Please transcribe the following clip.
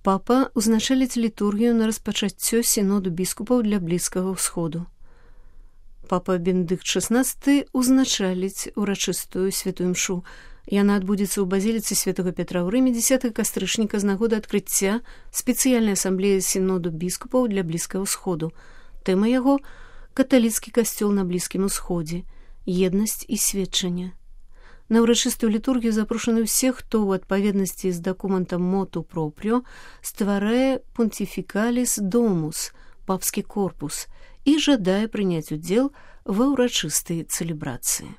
Папа узначаліць літургію на распачаццё сіноду біскупаў для Блізкага ўсходу. Папа Бенедыкт XVI узначаліць урачыстую святую імшу. Яна адбудзецца ў базіліцы святого Петра ў Рыме 10 кастрычніка з нагоды адкрыцця спецыяльнай асамблеі сіноду біскупаў для Блізкага ўсходу. Тэма яго – каталіцкі касцёл на Блізкім усходзе, еднасць і сведчанне. На ўрачыстую літургію запрошаны ўсе, хто ў адпаведнасці з дакументам моту пропріо стварае понтифікаліс домус, папскі корпус, і жадае прыняць удзел ва ўрачыстай цэлебрацыі.